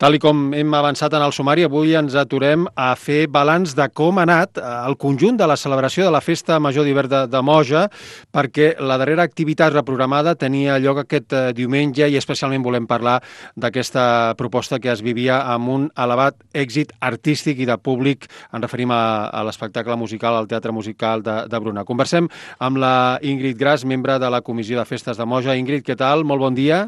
Tal i com hem avançat en el sumari, avui ens aturem a fer balanç de com ha anat el conjunt de la celebració de la Festa Major d'Hivern de Moja, perquè la darrera activitat reprogramada tenia lloc aquest diumenge i especialment volem parlar d'aquesta proposta que es vivia amb un elevat èxit artístic i de públic. Ens referim a l'espectacle musical, al Teatre Musical de Bruna. Conversem amb la Ingrid Gras, membre de la Comissió de Festes de Moja. Ingrid, què tal? Molt bon dia.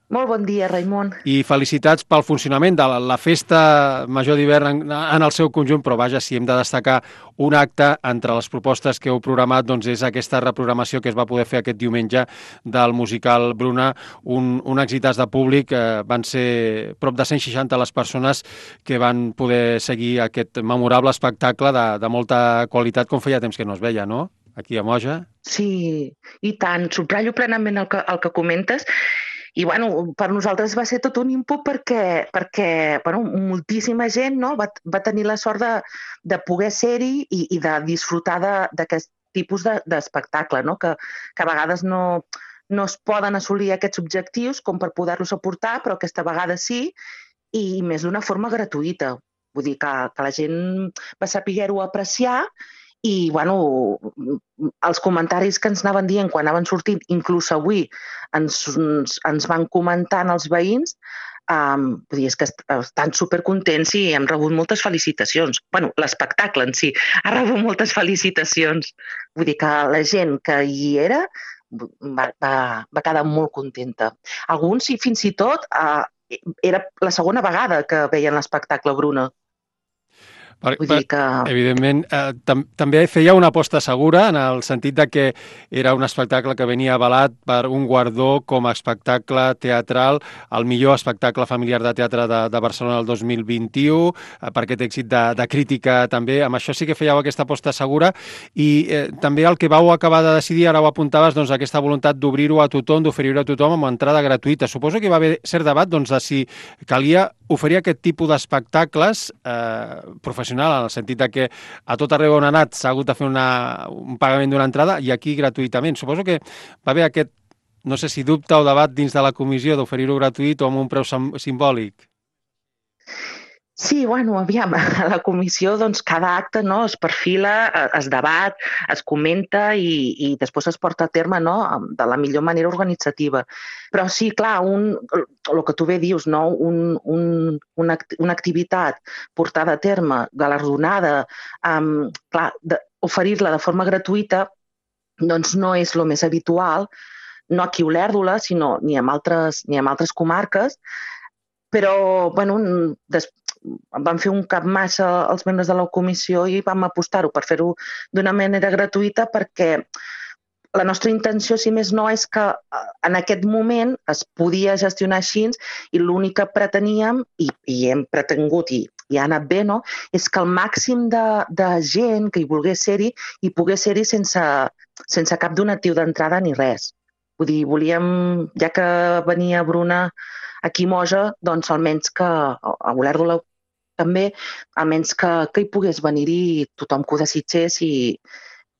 Molt bon dia, Raimon. I felicitats pel funcionament de la Festa Major d'Hivern en el seu conjunt, però vaja, si hem de destacar un acte entre les propostes que heu programat, doncs és aquesta reprogramació que es va poder fer aquest diumenge del musical Bruna, un èxitàs de públic. Van ser prop de 160 les persones que van poder seguir aquest memorable espectacle de molta qualitat, com feia temps que no es veia, no?, aquí a Moja. Sí, i tant. Subratllo plenament el que comentes. I bueno, per nosaltres va ser tot un input perquè bueno, moltíssima gent, no, va tenir la sort de poder ser-hi i de disfrutar d'aquest tipus d'espectacle, no? Que a vegades no es poden assolir aquests objectius com per poder-los aportar, però aquesta vegada sí, i més d'una forma gratuïta. Vull dir que la gent va saber-ho apreciar. I, bueno, els comentaris que ens anaven dient quan anaven sortint, inclús avui ens van comentant els veïns, vull dir, és que estan supercontents i hem rebut moltes felicitacions. Bueno, l'espectacle en si ha rebut moltes felicitacions. Vull dir que la gent que hi era va quedar molt contenta. Alguns, fins i tot, era la segona vegada que veien l'espectacle Bruna. Vull dir que... Evidentment, també feia una aposta segura en el sentit de que era un espectacle que venia avalat per un guardó com a espectacle teatral, el millor espectacle familiar de teatre de Barcelona del 2021, per aquest èxit de crítica també. Amb això sí que fèieu aquesta aposta segura i també el que vau acabar de decidir, ara ho apuntaves, doncs aquesta voluntat d'obrir-ho a tothom, d'oferir-ho a tothom amb entrada gratuïta. Suposo que hi va haver cert debat doncs, de si calia oferir aquest tipus d'espectacles professionals, en el sentit que a tot arreu on ha anat s'ha hagut de fer un pagament d'una entrada i aquí gratuïtament. Suposo que va haver aquest, no sé si dubte o debat dins de la comissió d'oferir-ho gratuït o amb un preu simbòlic. Sí, bueno, aviam, a la comissió doncs, cada acte no, es perfila, es debat, es comenta i després es porta a terme no, de la millor manera organitzativa. Però sí, clar, el que tu bé dius, no, una activitat portada a terme, galardonada, clar, oferir-la de forma gratuïta doncs no és el més habitual, no aquí a Olèrdola, sinó ni en altres comarques, però bueno, vam fer un cap massa els membres de la comissió i vam apostar-ho per fer-ho d'una manera gratuïta perquè la nostra intenció, si més no, és que en aquest moment es podia gestionar així i l'únic que preteníem, i hem pretengut i ha anat bé, no? És que el màxim de gent que hi volgués ser-hi i pogués ser-hi sense cap donatiu d'entrada ni res. Vull dir, volíem, ja que venia Bruna aquí a Moja, doncs almenys que a Olèrdola també, almenys que hi pogués venir-hi tothom que ho desitgés i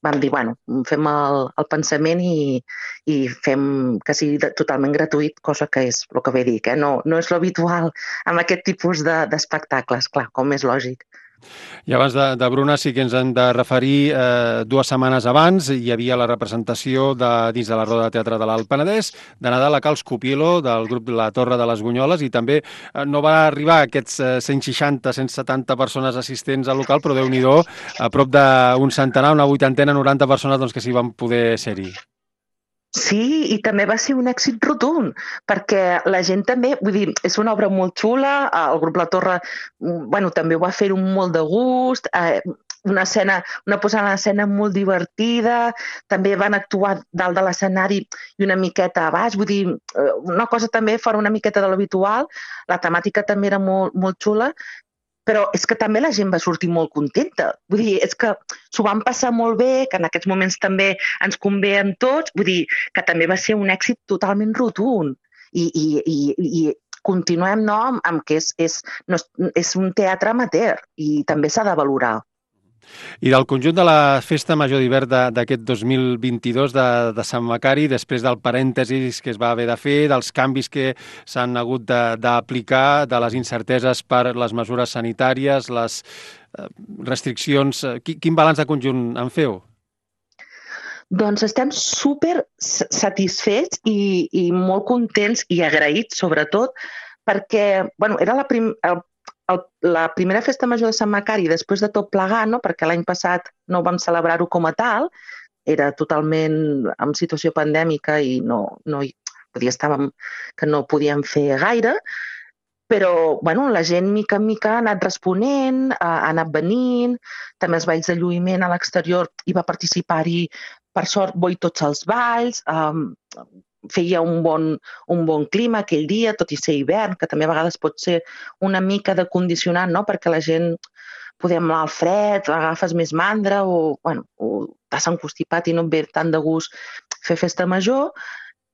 vam dir, bueno, fem el pensament i fem que sigui totalment gratuït, cosa que és el que bé dic, no és l'habitual amb aquest tipus d'espectacles, clar, com és lògic. I abans de Bruna sí que ens hem de referir 2 setmanes abans. Hi havia la representació dins de la Roda de Teatre de l'Alt Penedès de Nadal a Cal Scopielo del grup La Torre de les Bunyoles i també no va arribar a aquests 160-170 persones assistents al local, però Déu-n'hi-do, a prop d'un centenar, una vuitantena, 90 persones doncs, que s'hi van poder ser-hi. Sí, i també va ser un èxit rotund, perquè la gent també, vull dir, és una obra molt xula, el grup La Torre, bueno, també ho va fer molt de gust, una posada en escena molt divertida, també van actuar dalt de l'escenari i una miqueta a baix, vull dir, una cosa també fora una miqueta de l'habitual, la temàtica també era molt, molt xula, però és que també la gent va sortir molt contenta. Vull dir, és que s'ho van passar molt bé, que en aquests moments també ens convé a tots, vull dir, que també va ser un èxit totalment rotund. I continuem no, amb que és un teatre amateur i també s'ha de valorar. I del conjunt de la Festa Major d'hivern d'aquest 2022 de Sant Macari, després del parèntesis que es va haver de fer, dels canvis que s'han hagut d'aplicar, de les incerteses per les mesures sanitàries, les restriccions, quin balanç de conjunt en feu? Doncs estem super satisfets i molt contents i agraïts, sobretot, perquè era la primera festa major de Sant Macari després de tot plegar, no? Perquè l'any passat no vam celebrar-ho com a tal, era totalment en situació pandèmica i estàvem que no podíem fer gaire, però la gent mica en mica ha anat responent, ha anat venint, també els balls de lluïment a l'exterior hi va participar-hi, per sort, tots els balls, feia un bon clima aquell dia, tot i ser hivern, que també a vegades pot ser una mica de condicionant, no? Perquè la gent podem anar al fred, agafes més mandra o t'has encostipat i no et ve tant de gust fer festa major.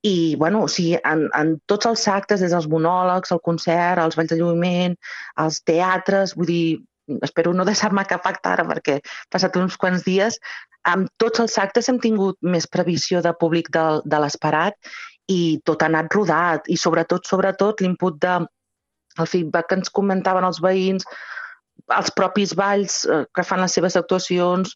I, en tots els actes, des dels monòlegs, el concert, els balls de lluïment, els teatres, vull dir, espero no deixar-me cap acte ara perquè he passat uns quants dies, amb tots els actes hem tingut més previsió de públic de l'esperat i tot ha anat rodat. I sobretot, l'input el feedback que ens comentaven els veïns, els propis balls que fan les seves actuacions,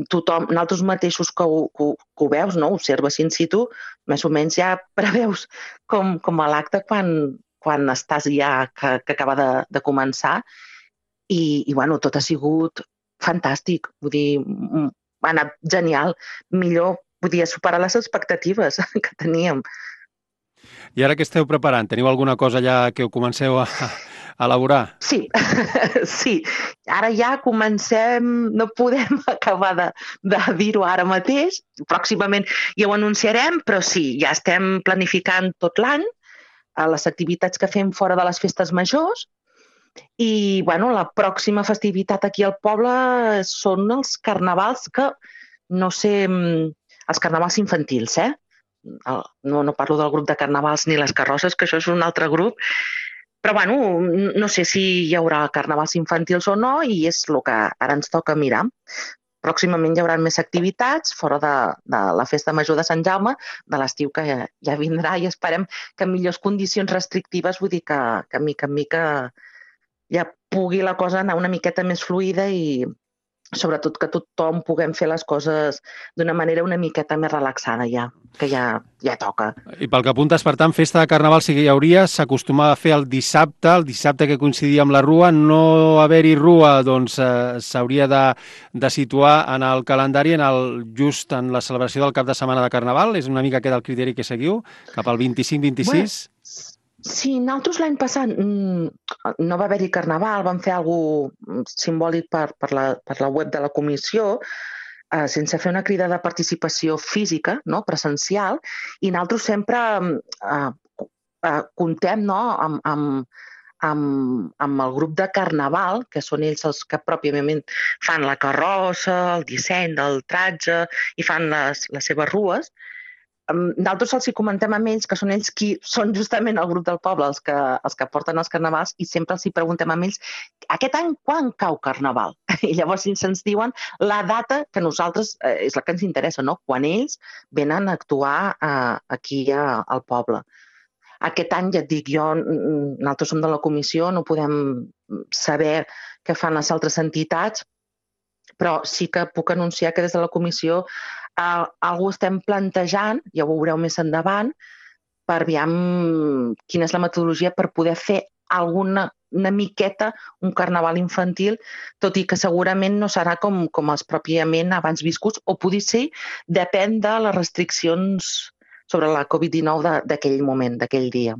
tothom, nosaltres mateixos que ho veus, no? Observes in situ, més o menys ja preveus com a l'acte quan estàs ja que acaba de començar i tot ha sigut fantàstic, vull dir, ha anat genial, millor, podia superar les expectatives que teníem. I ara què esteu preparant? Teniu alguna cosa ja que ho comenceu a elaborar? Sí, sí. Ara ja comencem, no podem acabar de dir-ho ara mateix, pròximament ja ho anunciarem, però sí, ja estem planificant tot l'any les activitats que fem fora de les festes majors i la pròxima festivitat aquí al poble són els carnavals que, no sé, els carnavals infantils, no parlo del grup de carnavals ni les carrosses, que això és un altre grup, però no sé si hi haurà carnavals infantils o no i és el que ara ens toca mirar. Pròximament hi haurà més activitats fora de la festa major de Sant Jaume, de l'estiu que ja vindrà i esperem que en millors condicions restrictives, vull dir que mica en mica ja pugui la cosa anar una miqueta més fluida i sobretot que tothom puguem fer les coses d'una manera una miqueta més relaxada ja, que ja toca. I pel que apuntes, per tant, festa de carnaval sí que hi hauria, s'acostumava a fer el dissabte que coincidia amb la Rua, no haver-hi Rua, doncs s'hauria de situar en el calendari just en la celebració del cap de setmana de carnaval, és una mica aquest el criteri que seguiu, cap al 25-26? Sí, nosaltres l'any passat no va haver-hi carnaval, vam fer alguna cosa simbòlic per la web de la comissió, sense fer una crida de participació física, no, presencial, i nosaltres sempre comptem amb el grup de carnaval, que són ells els que pròpiament fan la carrossa, el disseny del tratge i fan les seves rues. Nosaltres els hi comentem amb ells, que són ells qui són justament el grup del poble, els que porten els carnavals, i sempre els hi preguntem amb ells aquest any quan cau carnaval? I llavors ens diuen la data que nosaltres és la que ens interessa, no? Quan ells venen a actuar aquí al poble. Aquest any, ja et dic, nosaltres som de la comissió, no podem saber què fan les altres entitats, però sí que puc anunciar que des de la comissió algú estem plantejant, ja ho veureu més endavant, per aviam quina és la metodologia per poder fer una miqueta un carnaval infantil, tot i que segurament no serà com els pròpiament abans viscuts, o potser sí, depèn de les restriccions sobre la Covid-19 d'aquell moment, d'aquell dia.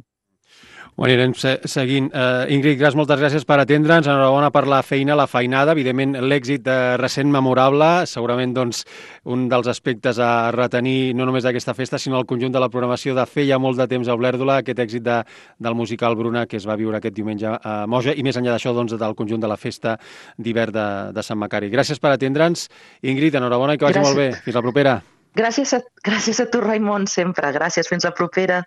Ho anirem seguint. Ingrid Gras, moltes gràcies per atendre'ns. Enhorabona per la feina, la feinada. Evidentment, l'èxit recent memorable. Segurament doncs, un dels aspectes a retenir no només d'aquesta festa, sinó el conjunt de la programació de fer ja molt de temps a Olèrdola, aquest èxit del musical Bruna que es va viure aquest diumenge a Moja i més enllà d'això doncs, del conjunt de la festa d'hivern de Sant Macari. Gràcies per atendre'ns. Ingrid, enhorabona i que vagi molt bé. Fins la propera. Gràcies a tu, Raimon, sempre. Gràcies. Fins la propera.